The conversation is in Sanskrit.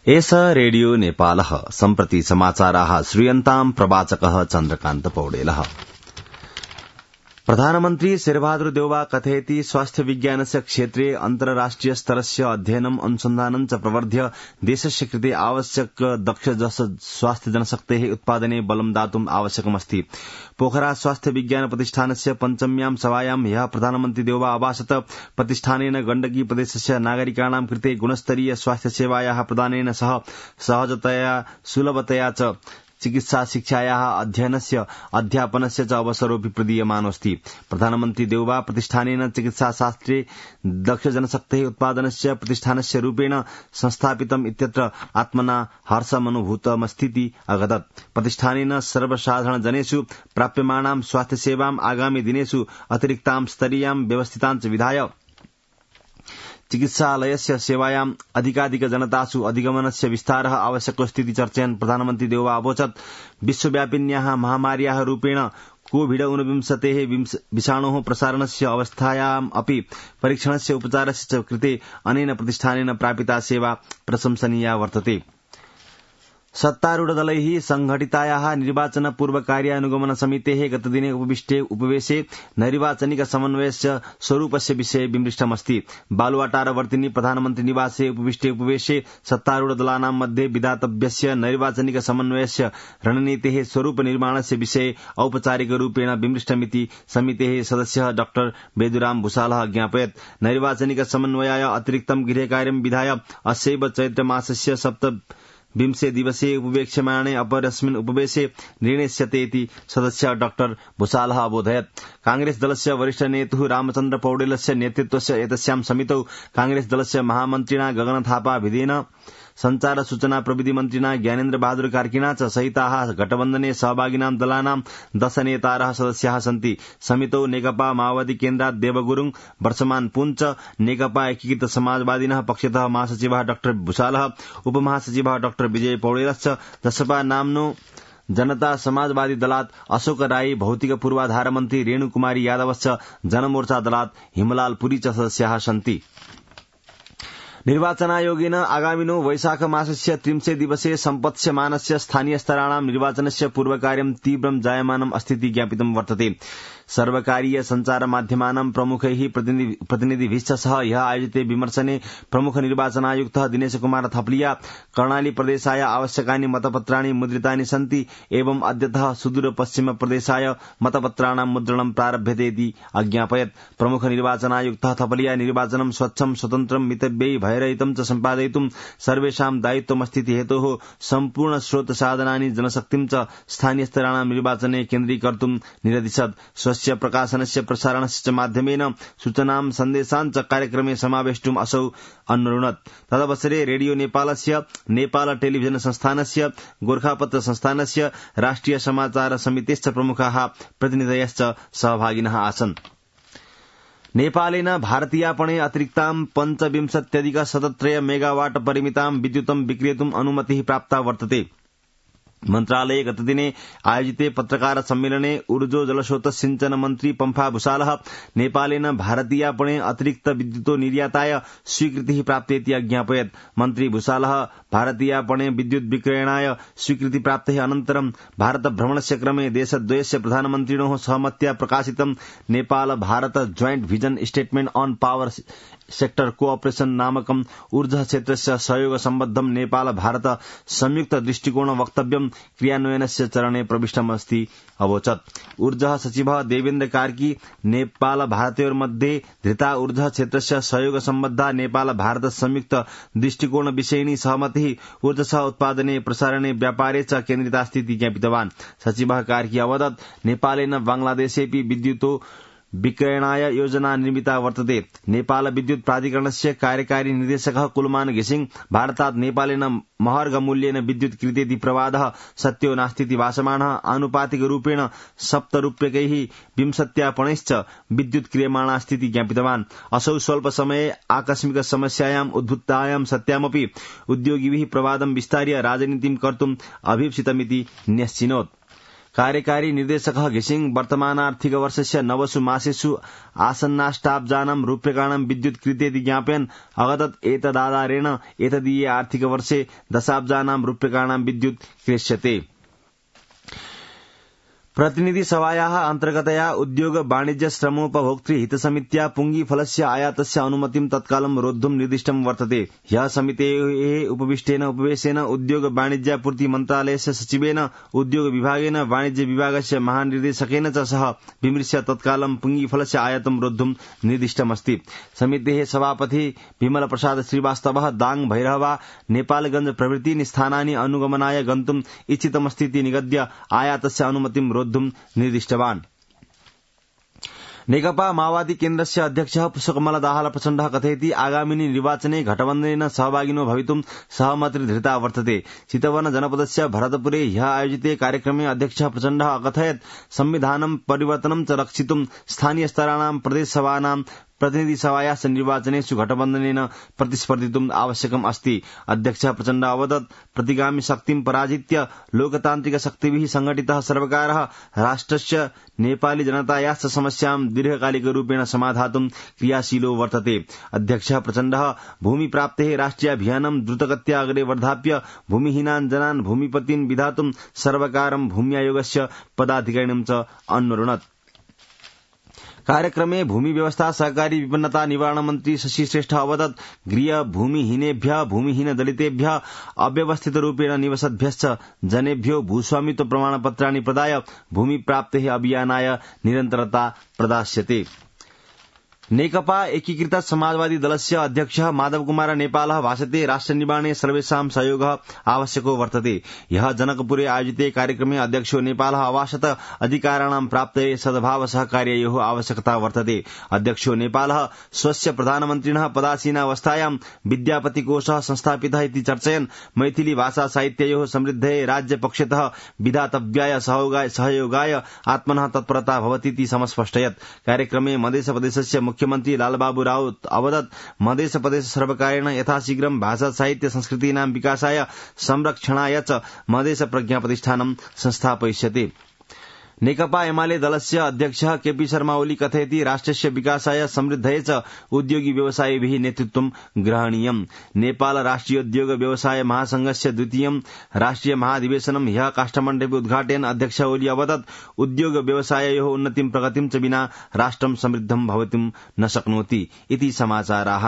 एष रेडियो नेपालः सम्प्रति समाचाराः श्रूयन्ताम् प्रवाचकः चन्द्रकान्त पौडेलः। प्रधानमन्त्री शेरबहादुर देउवा कथयति स्वास्थ्य विज्ञानस्य क्षेत्रे अन्तर्राष्ट्रिय स्तरस्य अध्ययनम् अनुसन्धानं च प्रवर्ध्य देशस्य कृते आवश्यक दक्ष स्वास्थ्य जनशक्तेः उत्पादने बलं दातुम् आवश्यकमस्ति। पोखरा स्वास्थ्य विज्ञान प्रतिष्ठानस्य पञ्चम्यां सभायां ह्यः प्रधानमन्त्री देउवा अभाषत। प्रतिष्ठानेन गण्डकी प्रदेशस्य नागरिकाणां कृते गुणस्तरीय स्वास्थ्य सेवायाः प्रदानेन सह सहजतया सुलभतया च चिकित्सा शिक्षायाः अध्ययनस्य अध्यापनस्य च अवसरोऽपि प्रदीयमानोऽस्ति। प्रधानमन्त्री देउवा प्रतिष्ठानेन चिकित्सा शास्त्रे दक्ष जनशक्तेः उत्पादनस्य प्रतिष्ठानस्य रूपेण संस्थापितम् इत्यत्र आत्मना हर्षमनुभूतमस्तीति अगदत्। प्रतिष्ठानेन सर्वसाधारण जनेषु प्राप्यमाणां स्वास्थ्य सेवाम् आगामि दिनेषु अतिरिक्तां स्तरीयां व्यवस्थितां च विधाय चिकित्सालयस्य सेवायाम् अधिकाधिक जनतासु अधिगमनस्य विस्तारः आवश्यकोऽस्तीति चर्चयन् प्रधानमन्त्री देउवा अवोचत्। विश्वव्यापिन्याः महामार्याः रूपेण कोविड-19 विषाणोः प्रसारणस्य अवस्थायाम् अपि परीक्षणस्य उपचारस्य च कृते अनेन प्रतिष्ठानेन प्रापिता सेवा प्रशंसनीया वर्तते। सत्तारूढदलैः संघटितायाः निर्वाचन पूर्व कार्यानुगमन समितेः गतदिने उपवेशे नैर्वाचनिक समन्वयस्य स्वरूपस्य विषये विमृष्टमस्ति। बालुवाटारवर्तिनी प्रधानमन्त्री निवासे उपवेशे सत्तारूढदलानां मध्ये विधातव्यस्य नैर्वाचनिक समन्वयस्य रणनीतेः स्वरूप निर्माणस्य विषये औपचारिकरूपेण विमृष्टमिति समितेः सदस्यः डॉ बेदुराम भूषालः ज्ञापयत्। नैर्वाचनिक समन्वयाय अतिरिक्तं गृहकार्यं विधाय अस्यैव चैत्रमासस्य 27 दिवसे उपवेक्ष्यमाणे अपरस्मिन् उपवेशे निर्णेष्यते इति सदस्य डॉ भूषालः अबोधयत्। कांग्रेस दलस्य वरिष्ठ नेतुः रामचन्द्र पौडेलस्य नेतृत्वस्य एतस्यां समितौ कांग्रेस दलस्य महामन्त्रिणा गगन थापा विधेन संचार सूचना प्रविधि मन्त्रिणा ज्ञानेन्द्र बहादुर कार्किना च सहिताः गठबन्धने सहभागिनां दलानां 10 नेतारः सदस्याः सन्ति। समितौ नेकपा माओवादी केन्द्रात् देवगुरुङ, वर्षमान पुञ्च, नेकपा एकीकृत समाजवादिनः पक्षतः महासचिवः डॉ भूषालः, उपमहासचिवः डॉ विजय पौडेलश्च, जसपा नाम्नो जनता समाजवादी दलात् अशोक राई, भौतिक पूर्वाधार मन्त्री रेणुकुमारी यादवश्च, जनमोर्चा दलात् हिमलाल पुरी च सदस्याः सन्ति। निर्वाचनायोगेन आगामिनो वैशाख मासस्य 30 दिवसे सम्पत्स्यमानस्य स्थानीय स्तराणां निर्वाचनस्य पूर्वकार्यं तीव्रं जायमानम् अस्तीति ज्ञापितं वर्तते। सर्वकारीय संचार माध्यमानां प्रमुखैः प्रतिनिधिभिश्च सह ह्यः आयोजिते विमर्शने प्रमुख निर्वाचनायुक्तः दिनेश कुमार थपलिया कर्णाली प्रदेशाय आवश्यकानि मतपत्राणि मुद्रितानि सन्ति एवं अद्यतः सुदूर पश्चिम प्रदेशाय मतपत्राणां मुद्रणं प्रारभ्यते इति अज्ञापयत्। प्रमुख निर्वाचनायुक्तः थपलिया निर्वाचनं स्वच्छं स्वतन्त्रं मितव्ययि भयरहितं च सम्पादयितुं सर्वेषां दायित्वमस्तीति हेतोः सम्पूर्ण स्रोत साधनानि जनशक्तिं च स्थानीयस्तराणां निर्वाचने केन्द्रीकर्तुं निरदिशत्। स्वस्य प्रकाशनस्य प्रसारणस्य च माध्यमेन सूचनां सन्देशान् च कार्यक्रमे समावेष्टुम् असौ अन्वरुणत्। तदवसरे रेडियो नेपालस्य, नेपाल टेलिभिजन संस्थानस्य, गोर्खापत्र संस्थानस्य, राष्ट्रिय समाचार समितेश्च प्रमुखाः प्रतिनिधयश्च सहभागिनः आसन्। नेपालेन भारतीयापणे अतिरिक्तां 25,173 मेगावाट परिमितां विद्युतं विक्रेतुम् अनुमतिः प्राप्ता वर्तते। मन्त्रालये गतदिने आयोजिते पत्रकार सम्मेलने ऊर्जो जलस्रोत सिंचन मन्त्री पम्फा भूषालः नेपालेन भारतीयापणे अतिरिक्त विद्युतो निर्याताय स्वीकृतिः प्राप्तेति अज्ञापयत्। मन्त्री भूषालः भारतीयापणे विद्युत् विक्रयणाय स्वीकृति प्राप्तेः अनन्तरं भारत भ्रमणस्य क्रमे देशद्वयस्य प्रधानमन्त्रिणोः सहमत्या प्रकाशितं Nepal Bharata joint vision statement on power sector cooperation नामकं ऊर्जा क्षेत्रस्य सहयोग सम्बद्धं नेपाल भारत संयुक्त दृष्टिकोण वक्तव्यं क्रियान्वयनस्य चरणे प्रविष्टमस्ति अवोचत्। ऊर्जा सचिवः देवेन्द्र कार्की नेपाल भारतयोर्मध्ये धृता ऊर्जा क्षेत्रस्य सहयोग सम्बद्धा नेपाल भारत संयुक्त दृष्टिकोण विषयिणी सहमतिः ऊर्जः उत्पादने प्रसारणे व्यापारे च केन्द्रितास्ति इति ज्ञापितवान्। सचिवः कार्की अवदत् नेपालेन बांग्लादेशेऽपि विद्युतो विक्रयणाय योजना निर्मिता वर्तते। नेपाल विद्युत प्राधिकरणस्य कार्यकारी निर्देशकः कुलमान घिसिङ भारतात् नेपालेन महर्घमूल्येन विद्युत् क्रीतेति प्रवादः सत्यो नास्तीति भाषमाणः आनुपातिकरूपेण 7 रूप्यकैः 20 विद्युत् क्रियमाणास्तीति ज्ञापितवान्। असौ स्वल्प समये आकस्मिक समस्यायाम् उद्भूतायां सत्यामपि उद्योगिभिः प्रवादं विस्तार्य राजनीतिं कर्तुम् अभीप्सितमिति न्यश्चिनोत्। कार्यकारी निर्देशकः घिसिङ वर्तमानार्थिकवर्षस्य नवसु मासेषु आसन्नाष्टाब्जानां रूप्यकाणां विद्युत् कृतेति ज्ञापयन् अवदत् एतदाधारेण एतदीये आर्थिकवर्षे दशाब्जानां रूप्यकाणां विद्युत् क्रेष्यते। प्रतिनिधि सभायाः अन्तर्गतया उद्योग वाणिज्य श्रमोपभोक्तृ हितसमित्या पुंगीफलस्य आयातस्य अनुमतिं तत्कालं रोद्धुं निर्दिष्टं वर्तते। ह्यः समितेः उपवेशेन उद्योग वाणिज्यापूर्ति मन्त्रालयस्य सचिवेन उद्योग विभागेन वाणिज्य विभागस्य महानिर्देशकेन च सह विमृश्य तत्कालं पुंगीफलस्य आयातं रोद्धुं निर्दिष्टमस्ति। समितेः सभापति विमल प्रसाद श्रीवास्तवः दाङ भैरहवा नेपालगंज प्रभृतीनि स्थानानि अनुगमनाय गन्तुम् इच्छितमस्तीति निगद्य आयातस्य अनुमतिं निर्दिष्टवान्। नेकपा माओवादी केन्द्रस्य अध्यक्षः पुष्पकमल दाहाल प्रचण्डः कथयति आगामिनि निर्वाचने घटबन्धनेन सहभागिनो भवितुं सहमतिर्धृता वर्तते। चितवन जनपदस्य भरतपुरे ह्यः आयोजिते कार्यक्रमे अध्यक्षः प्रचण्डः अकथयत् संविधानं परिवर्तनं च रक्षितुं स्थानीय स्तराणां प्रदेशसभानां प्रतिनिधि सभायाः निर्वाचनेषु घटबन्धनेन प्रतिस्पर्धितुम् आवश्यकम् अस्ति। अध्यक्षः प्रचण्डः अवदत् प्रतिगामि शक्तिं पराजित्य लोकतान्त्रिक शक्तिभिः संघटितः सर्वकारः राष्ट्रस्य नेपाली जनतायाश्च समस्यां दीर्घकालिकरूपेण समाधातुं क्रियाशीलो वर्तते। अध्यक्षः प्रचण्डः भूमिप्राप्तेः राष्ट्रियाभियानं द्रुतगत्या अग्रे वर्धाप्य भूमिहीनान् जनान् भूमिपतीन् विधातुं सर्वकारं भूम्यायोगस्य पदाधिकारिणं च अन्वरुणत्। कार्यक्रमे भूमि व्यवस्था सहकारी विपन्नता निवारण मन्त्री शशि श्रेष्ठ अवदत् गृह भूमिहीनेभ्यः भूमिहीन दलितेभ्यः अव्यवस्थितरूपेण निवसद्भ्यश्च जनेभ्यो भूस्वामित्व प्रमाणपत्राणि प्रदाय भूमिप्राप्तेः अभियानाय निरन्तरता प्रदास्यते। नेकपा एकीकृत समाजवादी दलस्य अध्यक्षः माधव कुमार नेपालः भाषते राष्ट्रनिर्माणे सर्वेषां सहयोगः आवश्यको वर्तते। ह्यः जनकपुरे आयोजिते कार्यक्रमे अध्यक्षो नेपालः अभाषत अधिकाराणां प्राप्तये सद्भाव सहकार्ययोः आवश्यकता वर्तते। अध्यक्षो नेपालः स्वस्य प्रधानमन्त्रिणः पदासीनावस्थायां विद्यापतिकोषः संस्थापितः इति चर्चयन् मैथिली भाषा साहित्ययोः समृद्धये राज्यपक्षतः विधातव्याय सहयोगाय आत्मनः तत्परता भवतीति समस्पष्टयत्। कार्यक्रमे मध्यप्रदेशस्य मुख्यमन्त्री लालबाबू राउत अवदत् मध्यप्रदेश सर्वकारेण यथाशीघ्रं भाषा साहित्य संस्कृतीनां विकासाय संरक्षणाय च मधेश प्रज्ञा प्रतिष्ठानं संस्थापयिष्यते। नेकपा एमाले दलस्य अध्यक्षः केपी शर्मा ओली कथयति राष्ट्रस्य विकासाय समृद्धये च उद्योगी व्यवसायिभिः नेतृत्वं ग्रहणीयम्। नेपाल राष्ट्रियोद्योग व्यवसाय महासंघस्य द्वितीयं राष्ट्रिय महाधिवेशनं ह्यः काष्ठमण्डपे उद्घाटयन् अध्यक्ष ओली अवदत् उद्योग व्यवसाययोः उन्नतिं प्रगतिं च विना राष्ट्रं समृद्धं भवितुं न शक्नोति इति समाचाराः।